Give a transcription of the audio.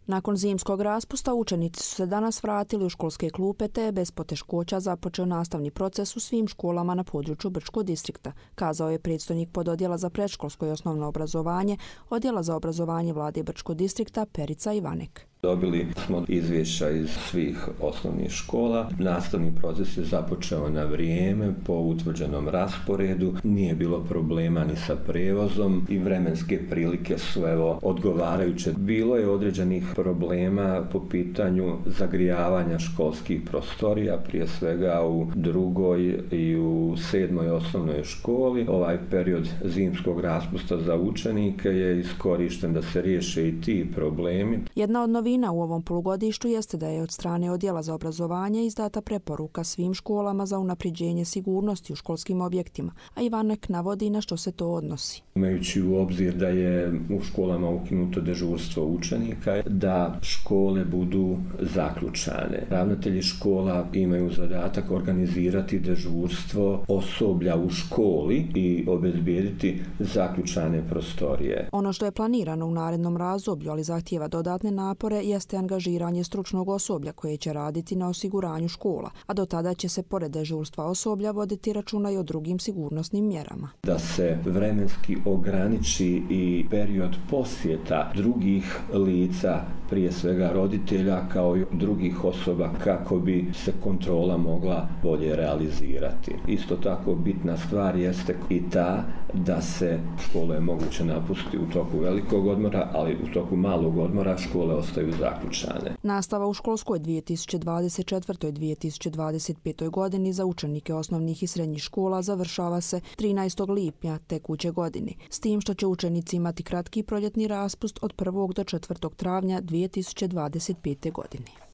Nakon zimskog raspusta učenici su se danas vratili u školske klupe te je bez poteškoća započeo nastavni proces u svim školama na području Brčkog distrikta, kazao je predstojnik pododjela za predškolsko i osnovno obrazovanje Odjela za obrazovanje Vlade Brčkog distrikta Perica Ivanek. Dobili smo izvješća iz svih osnovnih škola. Nastavni proces je započeo na vrijeme, po utvrđenom rasporedu. Nije bilo problema ni sa prevozom i vremenske prilike su odgovarajuće. Bilo je određenih problema po pitanju zagrijavanja školskih prostorija, prije svega u drugoj i u 7. osnovnoj školi. Ovaj period zimskog raspusta za učenike je iskorišten da se riješe i ti problemi. Jedna od novina u ovom polugodištu jeste da je od strane Odjela za obrazovanje izdata preporuka svim školama za unapređenje sigurnosti u školskim objektima, a Ivanek navodi na što se to odnosi. Imajući u obzir da je u školama ukinuto dežurstvo učenika, da škole budu zaključane. Ravnatelji škola imaju zadatak organizirati dežurstvo osoblja u školi i obezbijediti zaključane prostorije. Ono što je planirano u narednom razdoblju, ali zahtijeva dodatne napore, jeste angažiranje stručnog osoblja koje će raditi na osiguranju škola, a do tada će se pored dežurstva osoblja voditi računa i o drugim sigurnosnim mjerama. Da se vremenski ograniči i period posjeta drugih lica, prije svega roditelja kao i drugih osoba, kako bi se kontrola mogla bolje realizirati. Isto tako bitna stvar jeste i ta da se škole moguće napustiti u toku velikog odmora, ali u toku malog odmora škole ostaju zaključane. Nastava u školskoj 2024. i 2025. godini za učenike osnovnih i srednjih škola završava se 13. lipnja tekuće godine, s tim što će učenici imati kratki proljetni raspust od 1. do 4. travnja 2025. godine.